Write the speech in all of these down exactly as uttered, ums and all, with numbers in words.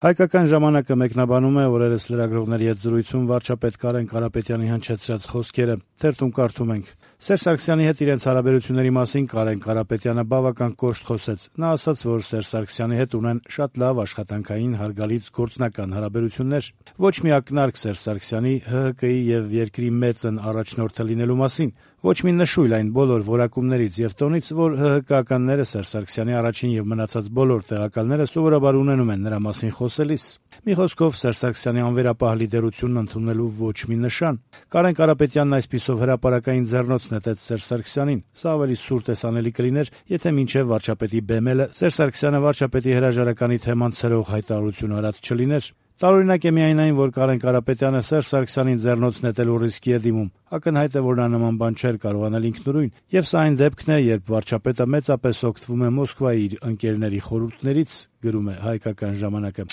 Հայկական ժամանակը մեկնաբանում է օրերս լրագրողների հետ զրույցում վարչապետ Կարեն Կարապետյանի հնչեցրած խոսքերը։ Թերթում կարդում ենք. Սերժ Սարգսյանի հետ իրենց հարաբերությունների մասին Կարեն Կարապետյանը բավական կոշտ խոսեց։ Նա ասաց, որ Սերժ Սարգսյանի հետ ունեն շատ լավ աշխատանքային, հարգալից գործնական հարաբերություններ։ Ոչ մի ակնարկ Սերժ Սարգսյանի ՀՀԿ-ի եւ երկրի մեծն առաջնորդը լինելու մասին, ոչ մի նշույլ այն բոլոր որակումներից եւ տոնից, որ ՀՀԿ-ականները Սերժ Սարգսյանի առաջին եւ մնացած բոլոր տեղակալները սովորաբար ունենում են նրա մասին խոսելիս։ Մի խոսքով Սերժ Սարգսյանի անվերապահ լիդերությունն ընդունելու ոչ մի նշան։ Կարեն Կարապետյանն այսպիսով հրապարակային ձեռնոց նետեց Սերժ Սարգսյանին։ Սա ավելի սուր տեսանելի կլիներ, եթե մինչև վարչապետի բեմելը Սերժ Սարգսյանը վարչապետի հրաժարականի թեման ցրող հայտարարություն արած չլիներ։ Տարօրինակ է միայն այն, որ Կարեն Կարապետյանը Սերժ Սարգսյանին ձեռնոց նետելու ռիսկի է դիմում։ Ակնհայտ է, որ նա նման բան չէր կարող անել ինքնուրույն, եւ սա այն դեպքն է, երբ վարչապետը մեծապես օգտվում է Մոսկվայի իր ընկերների խորհուրդներից, գրում է Հայկական ժամանակը։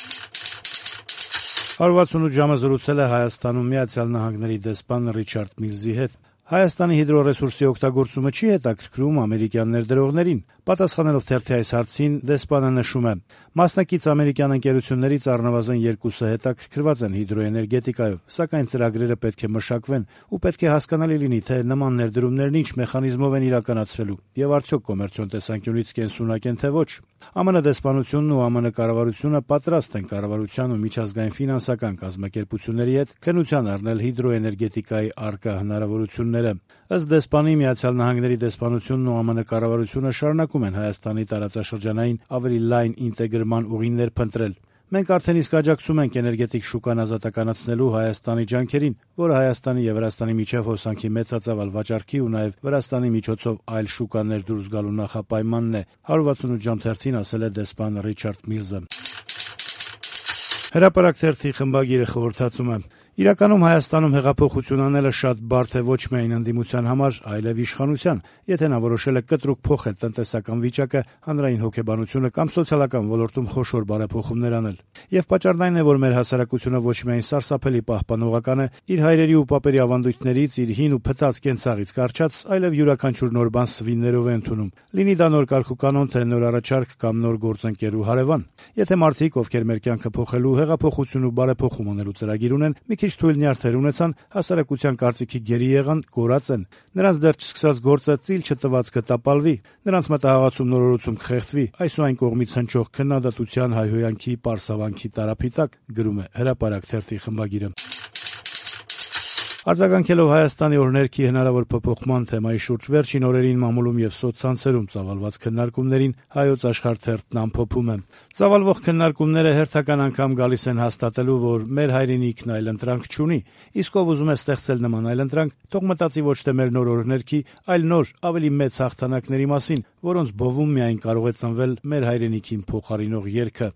հարյուր վաթսունութ ժամը զրուցել է Հայաստանում Միացյալ Նահանգների դեսպան Ռիչարդ Միլզի հետ։ Հայաստանի հիդրոռեսուրսի օգտագործումը չի հետաքրքրում ամերիկյան ներդրողներին։ Պատասխանելով թերթի այս հարցին, դեսպանը նշում է. մասնակից ամերիկյան ընկերություններից առնվազն երկուսը հետաքրքրված են հիդրոէներգետիկայով, սակայն ծրագրերը պետք է մշակվեն ու պետք է հասկանալի լինի, թե նման ներդրումներն ինչ մեխանիզմով են իրականացվելու եւ արդյոք կոմերցիոն տեսանկյունից կենսունակ են թե ոչ։ ԱՄՆ դեսպանությունն ու ԱՄՆ կառավարությունը պատրաստ են կառավարության ու միջազգային ֆինանսական կազմակերպությունների հետ քննության առնել հիդրոէներգետիկայի առկա հնարավորությունները։ Ըստ դեսպանի, Միացյալ Նահանգների դեսպանությունն ու ԱՄՆ կառավարությունը շարունակում են Հայաստանի տարածաշրջանային ավելի լայն ինտեգրման ուղիներ փնտրել։ Մենք արդեն իսկ աջակցում ենք էներգետիկ շուկան ազատականացնելու Հայաստանի ջանքերին, որը Հայաստանի եւ Վրաստանի միջև հոսանքի մեծածավալ վաճառքի ու նաեւ Վրաստանի միջոցով այլ շուկաներ դուրս գալու նախապայմանն է, հարյուր վաթսունութ ժամ թերթին ասել է դեսպան Ռիչարդ Միլզը։ Հրապարակ թերթի խմբագիրը խորհրդածում է. Իրականում Հայաստանում հեղափոխություն անելը շատ բարդ է ոչ միայն ընդդիմության համար, այլև իշխանության, եթե նա որոշել է կտրուկ փոխել տնտեսական վիճակը, հանրային հոգեբանությունը կամ սոցիալական ոլորտում խոշոր բարեփոխումներ անել։ Եվ պատճառն այն է, որ մեր հասարակությունը ոչ միայն սարսափելի պահպանողական է, իր հայրերի ու պապերի ավանդույթներից, իր հին ու փտած կենցաղից կարճած, այլև յուրաքանչյուր նոր բան սվիններով է ընդունում։ Լինի դա նոր կարգուկանոն, թե նոր առաջարկ կամ նոր գործընկեր ու հարևան։ Եթե մարդիկ, ովքեր մեր կյանքը փոխելու, հեղափոխություն ու բարեփոխում անելու ծրագիր ունեն, մի քիչ թույլ նյարդեր ունեցան, հասարակության կարծիքի գերի եղան, կորած են։ Նրանց դեռ չսկսած գործը ծիլ չտված կտապալվի, նրանց մտահղացում նորորոցում կխեղդվի, այս ու այն կողմից հնչող քննադատության, հայհոյանքի, պարսավանքի տարափի տակ, գրում է Հրապարակ թերթի խմբագիրը։ Արձագանքելով Հայաստանի օրհներքի հնարավոր փոփոխման թեմայի շուրջ վերջին օրերին մամուլում եւ սոցցանցերում ծավալված քննարկումներին Հայոց Աշխարհ թերթն ամփոփում է. Ծավալվող քննարկումները հերթական անգամ գալիս են հաստատելու, որ մեր հայրենիքն այլընտրանք չունի, իսկ ով ուզում է ստեղծել նման այլընտրանք, թող մտածի ոչ թե մեր նոր օրհներքի, այլ նոր, ավելի մեծ հաղթանակների մասին, որոնց բովում միայն կարող է ծնվել մեր հայրենիքին փոխարինող երգը։